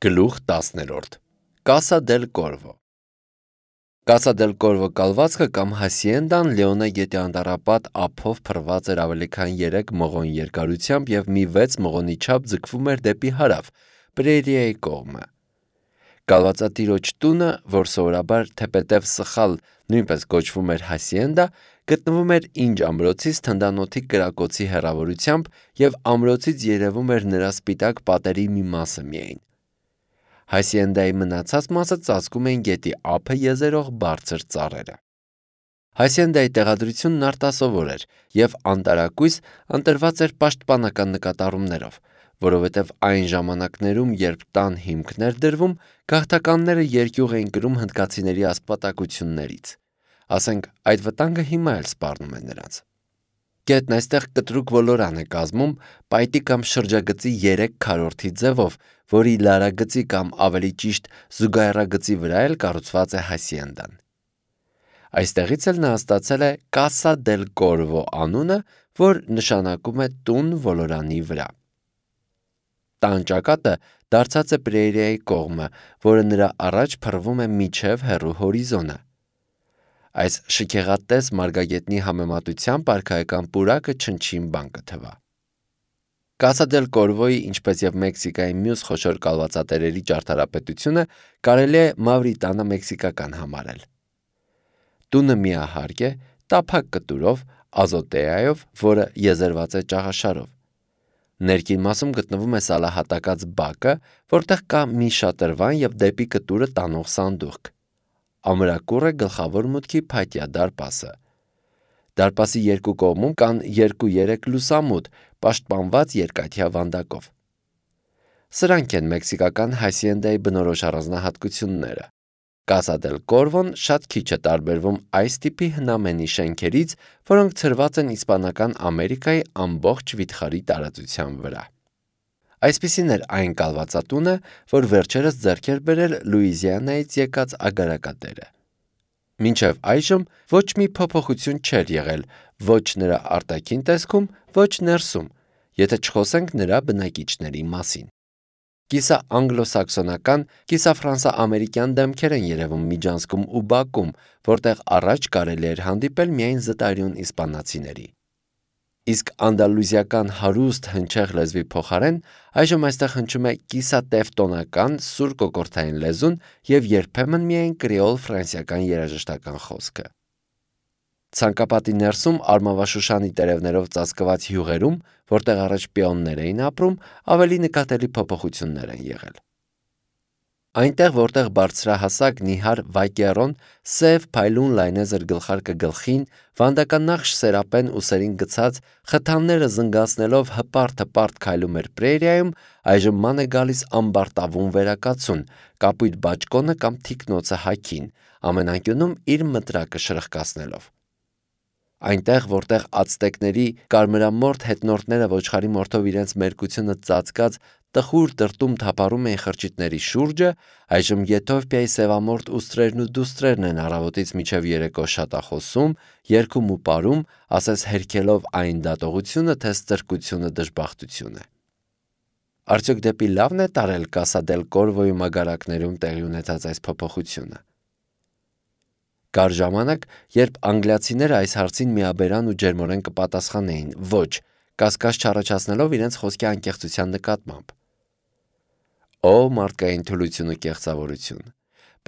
Գլուխ 10 Կասա դել Կորվո Կասա դել Կորվո կալվածքը կամ հասիենդան Լեոնե գետի անտառապատ ափով փռված էր ավելի քան 3 մղոն երկարությամբ և մի 6 մղոնի չափ ձգվում էր դեպի հարավ, Պրերիայի կողմը։ Կալվածատիրոջ տունը, որ սովորաբար թեպետև սխալ նույնպես կոչվում էր հասիենդա, գտնվում էր Ինջ ամրոցից թնդանոթի կրակոցի հեռավորությամբ և ամրոցից երևում էր նրա սպիտակ պատերի մի մասը միայն։ Հասիենդայի մնացած մասը ծածկում էին գետի ափը եզերող բարձր ծառերը։ Հասիենդայի տեղադրությունն արտասովոր էր և անտարակույս ընտրված էր պաշտպանական նկատառումներով, որովհետև այն ժամանակներում, երբ տան հիմքն էր դրվում, գաղթականները երկյուղ էին կրում հնդկացիների ասպատակություններից։ Ասենք, այդ վտանգը հիմա էլ սպառնում է նրանց։ Գետն այստեղ կտրուկ ոլորան է կազմում պայտի կամ շրջագծի 3 քառորդի ձևով, որի լարագծի կամ ավելի ճիշտ զուգահեռագծի վրա էլ կառուցված է հասիենդան։ Այստեղից էլ նա ստացել է Կասա դել Կորվո անունը, որ նշանակում է տուն ոլորանի վրա։ Տան ճակատը դարձած է Պրերիայի կողմը, որը նրա առաջ փռվում է մինչև հեռու հորիզոնը։ Այս շքեղատես մարգագետնի համեմատությամբ արքայական պուրակը չնչին բան կթվա։ Կասա դել Կորվոյի, ինչպես և Մեքսիկայի մյուս խոշոր կալվածատերերի ճարտարապետությունը կարելի է Մավրիտանա մեքսիկական համարել։ Տունը միահարկ է, տափակ կտուրով, ազոտեայով, որը եզերված է ճաղաշարով։ Ներքին մասում գտնվում է սալահատակած բակը, որտեղ կա մի շատրվան և դեպի կտուրը տանող սանդուղք։ Ամրակուռ է գլխավոր մուտքի փայտյա դարպասը։ Դարպասի երկու կողմում կան 2-3 լուսամուտ, պաշտպանված երկաթյա վանդակով։ Սրանք են մեքսիկական հասիենդայի բնորոշ առանձնահատկությունները։ Կասա դել Կորվոն շատ քիչ է տարբերվում այս տիպի հնամենի շենքերից, որոնք ցրված են Իսպանական Ամերիկայի ամբողջ վիթխարի տարածության վրա։ Այսպիսին էր այն կալվածատունը, որ վերջերս ձեռք էր բերել Լուիզիանայից եկած ագարակատերը։ Մինչև այժմ ոչ մի փոփոխություն չէր եղել ոչ նրա արտաքին տեսքում, ոչ ներսում, եթե չխոսենք նրա բնակիչների մասին։ Կիսաանգլոսաքսոնական, կիսաֆրանսա-ամերիկյան դեմքեր են երևում Միջանցքում ու Բաքում, որտեղ առաջ կարելի էր հանդիպել միայն զտարյուն իսպանացիների։ Իսկ անդալուզիական հարուստ հնչեղ լեզվի փոխարեն այժմ այստեղ հնչում է կիսատևտոնական սուր կոկորդային լեզուն և երբեմն միայն կրեոլ ֆրանսիական երաժշտական խոսքը։ Ցանկապատի ներսում Արմավաշուշանի տերևներով ծածկված հյուղերում, որտեղ առաջ պիոններ էին ապրում, ավելի նկատելի փոփոխություններ են եղել։ Այնտեղ, որտեղ բարձրահասակ նիհար վայկերոն, սև փայլուն լայնեզր գլխարկը գլխին, վանդականախշ սերապեն ուսերին գցած, խթանները զնգացնելով հպարտ քայլում էր Պրերիայում, այժմ ման է գալիս ամբարտավուն վերակացուն, կապույտ բաճկոնը կամ թիկնոցը հագին, ամեն անկյունում իր մտրակը շրխկացնելով։ Այնտեղ, որտեղ ացտեկների կարմրամորթ հետնորդները ոչխարի մորթով իրենց մերկությունը ծածկած տխուր տրտում թափառում էին խրճիթների շուրջը, այժմ Եթովպիայի սևամորթ ուստրերն ու դուստրերն են առավոտից մինչև երեկո շատախոսում, երգում ու պարում, ասես հերքելով այն դատողությունը, թե ստրկությունը դժբախտություն է։ Արդյոք դեպի լավն է տարել Կասա դել Կորվոյի մագարակներում տեղի ունեցած այս փոփոխությունը։ Կար ժամանակ, երբ անգլիացիները այս հարցին միաբերան ու ջերմորեն կպատասխանեին ոչ, կասկած չառաջացնելով իրենց խոսքի անկեղծության նկատմամբ։ Օ մարդկային թուլություն ու կեղծավորություն։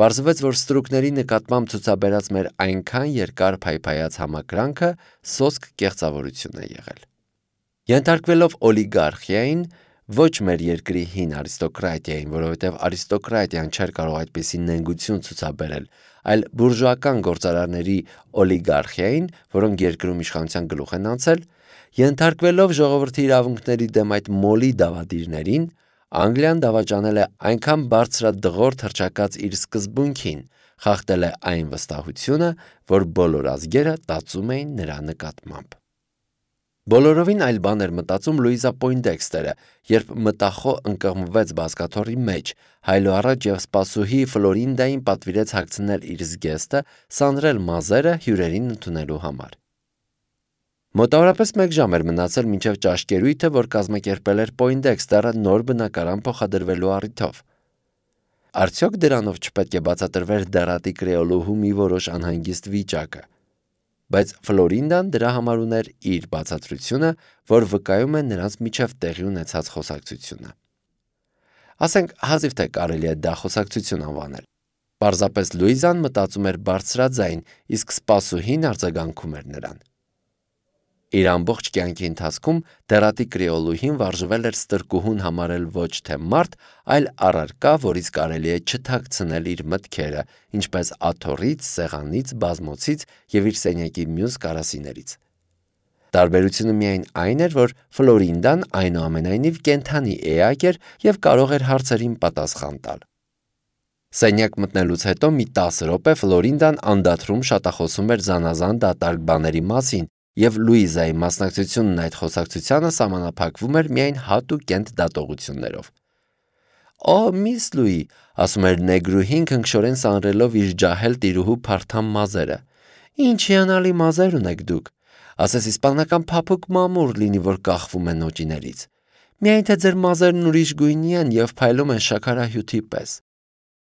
Պարզվեց, որ ստրուկների նկատմամբ ցուցաբերած մեր այնքան երկար փայփայած համակրանքը սոսկ կեղծավորություն է եղել։ Ենթարկվելով օլիգարխիային, ոչ մեր երկրի հին արիստոկրատիային, որովհետև արիստոկրատիան չէր կարող այդպիսի նենգություն ցուցաբերել, այլ բուրժուական գործարարների օլիգարխիային, որոնք երկրում իշխանության գլուխ են անցել, ենթարկվելով ժողովրդի իրավունքների դեմ այդ մոլի դավադիրներին, Անգլիան դավաճանել է այնքան բարձրադղորդ հռչակած իր սկզբունքին, խախտել է այն վստահությունը, որ բոլոր ազգերը տածում էին նրա նկատմամբ։ Բոլորովին այլ բան էր մտածում Լուիզա Պոյնդեքստերը, երբ մտախոհ ընկղմվեց բազկաթոռի մեջ, հայլո առաջ և սպասուհի Ֆլորինդային պատվիրեց հագցնել իր զգեստը, սանրել մազերը հյուրերին ընդունելու համար։ Մոտավորապես 1 ժամ էր մնացել մինչև ճաշկերույթը, որ կազմակերպել էր Պոյնդեքստերը նոր բնակարան փոխադրվելու առիթով։ Արդյոք դրանով չպետք է բացատրվեր դեռատի կրեոլուհու մի որոշ անհանգիստ վիճակը։ Բայց Ֆլորինդան դրա համար ուներ իր բացատրությունը, որ վկայում է նրանց միջև տեղի ունեցած խոսակցությունը։ Ասենք հազիվ թե կարելի է դա խոսակցություն անվանել։ Պարզապես Լուիզան մտածում էր բարձրաձայն, իսկ սպասուհին արձագանքում էր նրան։ Իր ամբողջ կյանքի ընթացքում դեռատի կրեոլուհին վարժվել էր ստրկուհուն համարել ոչ թե մարդ, այլ առարկա, որից կարելի է չթաքցնել իր մտքերը, ինչպես աթոռից, սեղանից, բազմոցից եւ իր սենյակի մյուս կարասիներից։ Տարբերությունը միայն այն էր, որ Ֆլորինդան այնուամենայնիվ կենդանի էակ էր եւ կարող էր հարցերին պատասխան տալ։ Սենյակ մտնելուց հետո մի 10 րոպե Ֆլորինդան անդադրում շատախոսում էր զանազան դատարկ բաների մասին, եւ Լուիզայի մասնակցությունն այդ խոսակցությանը սահմանափակվում էր միայն հատուկ կենտ դատողություններով։ «Օ, միս Լուի», ասում էր նեգրուհին քնքշորեն սանրելով իր ջահել տիրուհու փարթամ մազերը, «ինչ հիանալի մազեր ունեք դուք, ասես իսպանական փափուկ մամուռ լինի, որ կախվում է նոճիներից, միայն թե ձեր մազերն ուրիշ գույնի են եւ փայլում են շաքարահյութի պես»։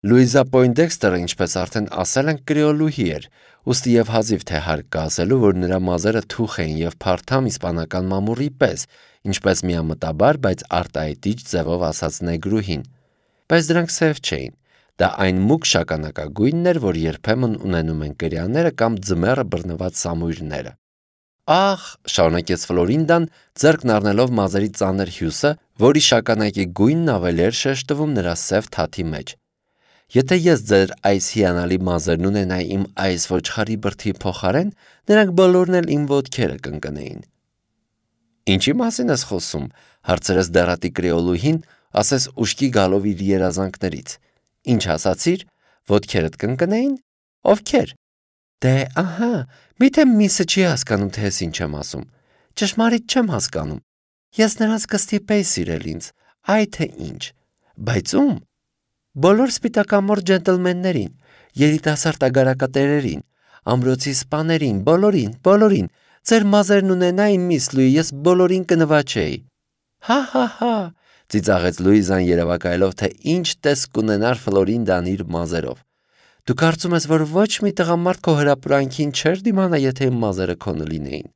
Լուիզա Պոյնդեքստերը, ինչպես արդեն ասել ենք, կրեոլուհի էր, ուստի եւ հազիվ թե հարկ կա ասելու, որ նրա մազերը թուխ էին եւ փարթամ իսպանական մամուռի պես, ինչպես միամտաբար, բայց արտահայտիչ ձևով ասաց նեգրուհին։ Բայց դրանք սև չէին։ Դա այն մուգ շագանակագույնն էր, որ երբեմն ունենում են կրյաները կամ ձմեռը բռնված սամույրները։ Ախ, շարունակեց Ֆլորինդան, ձեռքն առնելով մազերի ծանր հյուսը, որի շագանակի գույնն ավելի էր շեշտվում նրա սև թաթի մեջ։ Եթե ես ձեր այս հիանալի մազերն ունենայի իմ այս ոչխարի բրդի փոխարեն, նրանք բոլորն էլ իմ ոտքերը կընկնեին։ Ինչի մասին ես խոսում, հարցրեց դեռատի կրեոլուհին, ասես ուշքի գալով իր երազանքներից։ Ինչ ասացիր, ոտքերդ կընկնեին։ Ովքեր։ Դե, ահա, միթե միսը չի հասկանում, թե ես ինչ եմ ասում։ Ճշմարիտ չեմ հասկանում։ Ես նրանց կստիպեի սիրել ինձ, այ թե ինչ։ Բայց ում։ Բոլոր սպիտակամորթ ջենտլմեններին, երիտասարդ ագարակատերերին, ամրոցի սպաներին, բոլորին, ձեր մազերն ունենային, միս Լուի, ես բոլորին կնվաճեի։ Հա, ծիծաղեց Լուիզան երևակայելով, թե ինչ տեսք կունենար Ֆլորինդան իր մազերով։ Դու կարծում ես, որ ոչ մի տղամարդ քո հրապուրանքին չէր դիմանա, եթե իմ մազերը քոնը լինեին։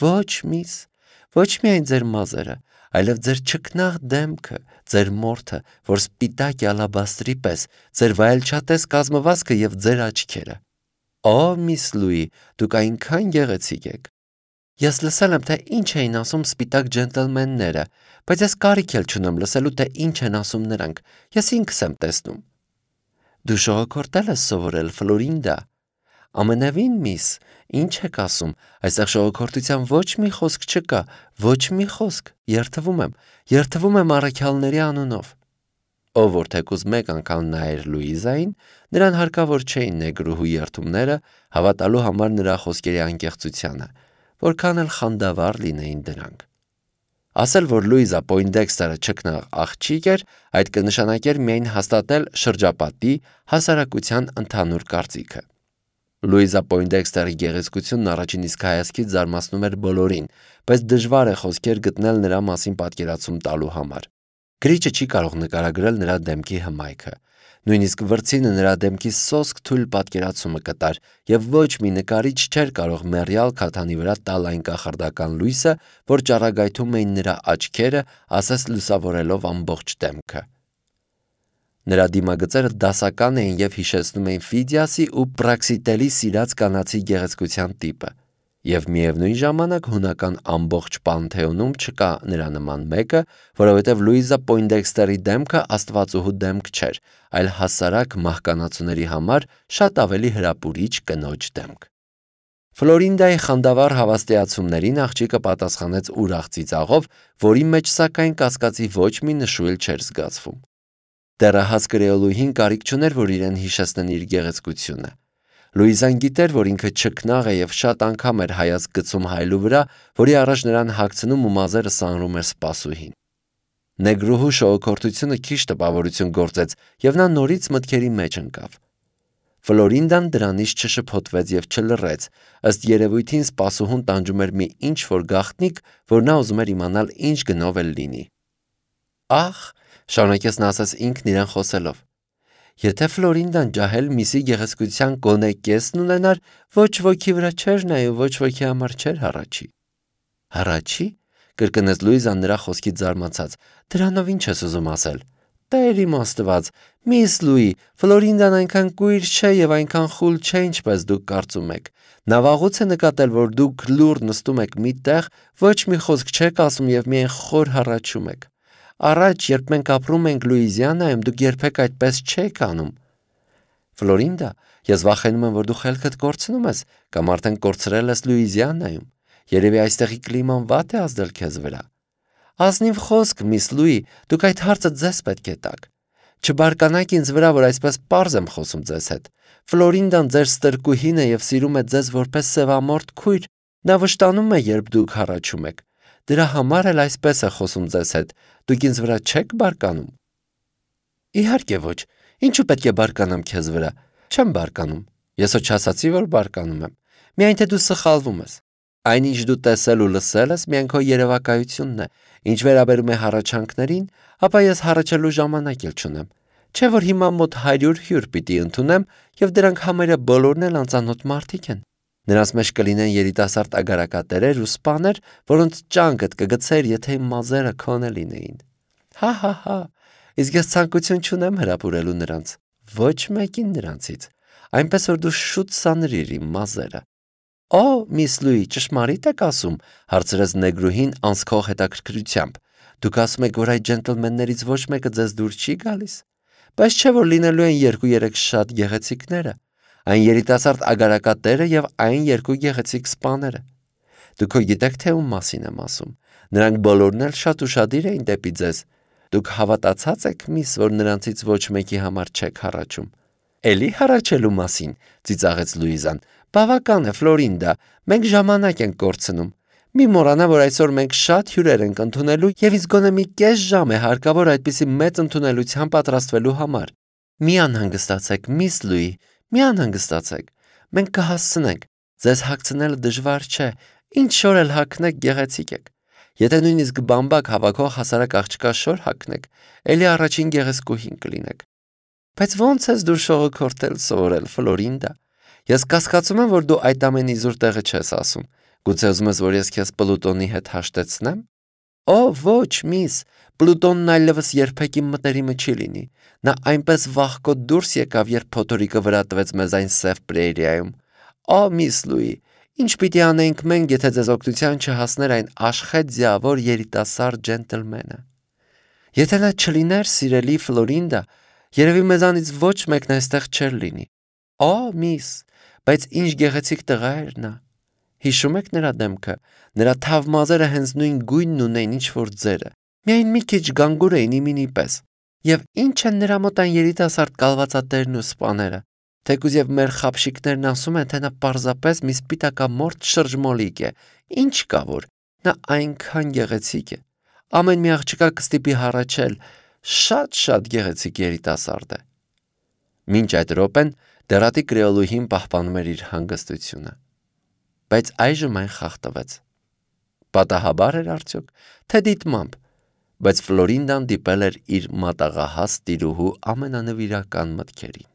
Ոչ, միս, ոչ միայն ձեր մազերը, այլև ձեր չքնաղ դեմքը, ձեր մորթը, որ սպիտակ է ալաբաստրի պես, ձեր վայելչատես կազմվածքը եւ ձեր աչքերը։ Օ, միս Լուի, դուք այնքան գեղեցիկ եք։ Ես լսել եմ, թե ինչ էին ասում սպիտակ ջենտլմենները, բայց ես կարիք էլ չունեմ լսելու, թե ինչ են ասում նրանք։ Ես ինքս եմ տեսնում։ Դու շողոքորտել ես սովորել, Ֆլորինդա։ Ամենևին, միս, ինչ եք ասում, այստեղ շողոքորտության ոչ մի խոսք չկա, ոչ մի խոսք, երթվում եմ առաքյալների անունով։ Ով որ թեկուզ մեկ անգամ նայեր Լուիզային, նրան հարկավոր չէին նեգրուհու երթումները հավատալու համար նրա խոսքերի անկեղծությանը, որքան էլ խանդավառ լինեին դրանք։ Ասել, որ Լուիզա Պոյնդեքստերը չքնաղ աղջիկ էր, այդ կնշանակեր միայն հաստատել շրջապատի հասարակության ընդհանուր կարծիքը։ Լուիզա Պոյնդեքստերի գեղեցկությունն առաջին իսկ հայացքից զարմացնում էր բոլորին, բայց դժվար է խոսքեր գտնել նրա մասին պատկերացում տալու համար։ Գրիչը չի կարող նկարագրել նրա դեմքի հմայքը։ Նույնիսկ վրձինը նրա դեմքի սոսկ թույլ պատկերացումը կտար, եւ ոչ մի նկարիչ չէր կարող մեռյալ քաթանի վրա տալ այն կախարդական լույսը, որ ճառագայթում էին նրա աչքերը, ասես լուսավորելով ամբողջ դեմքը։ Նրա դիմագծերը դասական էին եւ հիշեցնում էին Ֆիդիասի ու Պրաքսիտելի սիրած կանացի գեղեցկության տիպը, եւ միևնույն ժամանակ հունական ամբողջ պանթեոնում չկա նրա նման մեկը, որովհետեւ Լուիզա Պոյնդեքստերի դեմքը աստվածուհու դեմք չէր, այլ հասարակ մահկանացուների համար շատ ավելի հրապուրիչ կնոջ դեմք։ Ֆլորինդայի խանդավառ հավաստիացումներին աղջիկը պատասխանեց ուրախ ծիծաղով, որի մեջ սակայն կասկածի ոչ մի նշույլ չէր զգացվում։ Դեռահաս կրեոլուհին կարիք չուներ, որ իրեն հիշեցնեն իր գեղեցկությունը։ Լուիզան գիտեր, որ ինքը չքնաղ է եւ շատ անգամ էր հայացք գցում հայլու վրա, որի առաջ նրան հագցնում ու մազերը սանրում էր սպասուհին։ Նեգրուհու շողոքորթությունը քիչ տպավորություն գործեց եւ նա նորից մտքերի մեջ ընկավ։ Ֆլորինդան դրանից չշփոթվեց եւ չլռեց, ըստ երևույթին սպասուհուն տանջում էր մի ինչ-որ գաղտնիք, որ նա ուզում էր իմանալ ինչ գնով էլ լինի։ Ախ, շարունակեց նա ասես ինքն իրեն խոսելով։ Եթե Ֆլորինդան ջահել միսի գեղեցկության գոնե կեսն ունենար, ոչ ոքի վրա չէր նայում, ոչ ոքի համար չէր հառաչի։ Հառաչի, կրկնեց Լուիզան նրա խոսքից զարմացած։ Դրանով ինչ ես ուզում ասել։ Տեր իմ Աստված, միս Լուի, Ֆլորինդան այնքան կույր չէ եւ այնքան խուլ չէ, ինչպես դուք կարծում եք։ Նա վաղուց է նկատել, որ դուք լուռ նստում եք մի տեղ, ոչ մի խոսք չեք ասում եւ միայն խոր հառաչում եք։ Առաջ, երբ մենք ապրում ենք Լուիզիանայում, դուք երբեք այդպես չեք անում։ Ֆլորինդա, ես վախենում եմ, որ դու խելքդ կորցնում ես կամ արդեն կորցրել ես Լուիզիանայում։ Երևի այստեղի կլիման վատ է ազդել քեզ վրա։ Ազնիվ խոսք, միս Լուի, դուք այդ հարցը ձեզ պետք է տաք։ Չբարկանաք ինձ վրա, որ այսպես պարզ եմ խոսում ձեզ հետ։ Ֆլորինդան ձեր ստրկուհին է եւ սիրում է ձեզ որպես սևամորթ քույր։ Նա վշտանում է, երբ դուք հառաչում եք։ Դրա համար էլ այսպես է խոսում ձեզ հետ։ Դուք ինձ վրա չեք բարկանում։ Իհարկե ոչ։ Ինչու պետք է բարկանամ քեզ վրա։ Չեմ բարկանում։ Ես ոչ ասացի, որ բարկանում եմ։ Միայն թե դու սխալվում ես։ Այնինչ դու տեսել ու լսել ես, միայն քո երևակայությունն է։ Ինչ վերաբերում է հառաչանքներին, ապա ես հառաչելու ժամանակ էլ չունեմ։ Չէ՞ որ հիմա մոտ 100 հյուր պիտի ընդունեմ, եւ դրանք համարյա բոլորն էլ անծանոթ մարդիկ են։ Նրանց մեջ կլինեն երիտասարդ ագարակատերեր ու սպաներ, որոնց ճանկդ կգցեր, եթե իմ մազերը քոնը լինեին։ Հա։ Իսկ ես ցանկություն չունեմ հրապուրելու նրանց։ Ոչ մեկին նրանցից։ Այնպես որ դու շուտ սանրիր իմ մազերը։ Օ, միս Լուի, ճշմարիտ եք ասում, հարցրեց նեգրուհին անսքող հետաքրքրությամբ։ Դուք ասում եք, որ այդ ջենտլմեններից ոչ մեկը ձեզ դուր չի գալիս։ Բայց չէ՞ որ լինելու են 2-3 շատ գեղեցիկները, այն երիտասարդ ագարակատերը եւ այն 2 գեղեցիկ սպաները։ Դուք գիտեք, թե ում մասին եմ ասում։ Նրանք բոլորն էլ շատ ուշադիր էին դեպի ձեզ։ Դուք հավատացած եք, միս, որ նրանցից ոչ մեկի համար չեք հառաչում։ Էլի հառաչելու մասին, ծիծաղեց Լուիզան։ Բավական է, Ֆլորինդա, մենք ժամանակ ենք կորցնում։ Մի մոռանա, որ այսօր մենք շատ հյուրեր ենք ընդունելու եւ իսկ գոնե մի կես ժամ է հարկավոր այդպիսի մեծ ընդունելության պատրաստվելու համար։ Մի անհանգստացեք, միս Լուի, մի անհանգստացեք։ Մենք կհասցնենք։ Ձեզ հագցնելը դժվար չէ, ինչ շոր էլ հագնեք, գեղեցիկ եք։ Եթե նույնիսկ բամբակ հավաքող հասարակ աղջկա շոր հագնեք, էլի առաջին գեղեցկուհին կլինեք։ Բայց ո՞նց ես դու շողոքորթել սովորել, Ֆլորինդա։ Ես կասկածում եմ, որ դու այդ ամեն իզուր տեղը չես ասում։ Գուցե ուզում ես, որ ես քեզ Պլուտոնի հետ հաշտեցնեմ։ Օ, ոչ, միս, Պլուտոնն այլևս երբեք իմ մտերիմը չի լինի։ Նա այնպես վախկոտ դուրս եկավ, երբ փոթորիկը վրա տվեց մեզ այն սև պրերիայում։ Օ, միս Լուի, ինչ պիտի անենք մենք, եթե ձեզ օգնության չհասներ այն աշխեհ ձիավոր երիտասարդ ջենտլմենը։ Եթե նա չլիներ, սիրելի Ֆլորինդա, երևի մեզանից ոչ մեկն այստեղ չէր լինի։ Օ, միս, բայց ինչ գեղեցիկ տղա էր նա։ Հիշում եք նրա դեմքը, նրա թավ մազերը հենց նույն գույնն ունեին, ինչ որ ձերը։ Միայն մի քիչ գանգուր էին իմինի պես։ Եվ ինչ են նրա մոտ այն երիտասարդ կալվածատերն ու սպաները։ Թեկուզ եւ մեր խապշիկներն ասում են, թե նա պարզապես մի սպիտակամորթ շրջմոլիկ է։ Ինչ կա որ, նա այնքան գեղեցիկ է։ Ամեն մի աղջկա կստիպի հառաչել, շատ գեղեցիկ երիտասարդ է։ Մինչ այդ րոպեն դերատի կրեոլուհին պահպանում էր իր հանգստությունը։ Բայց այժմ այն խախտվեց։ Պատահաբար էր արդյոք, թե դիտմամբ, բայց Ֆլորինդան դիպել էր իր մատաղահաս տիրուհու ամենանվիրական մտքերին։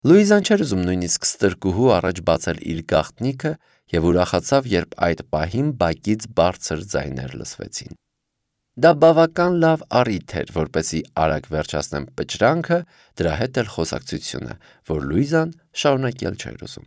Լուիզան չէր ուզում նույնիսկ ստրկուհու առաջ բացել իր գաղտնիքը եւ ուրախացավ, երբ այդ պահին բակից բարձր ձայներ լսվեցին։ Դա բավական լավ առիթ էր, որպեսզի արագ վերջացնեն պճրանքը, դրա հետ էլ խոսակցությունը, որ Լուիզան շարունակել չէր ուզում։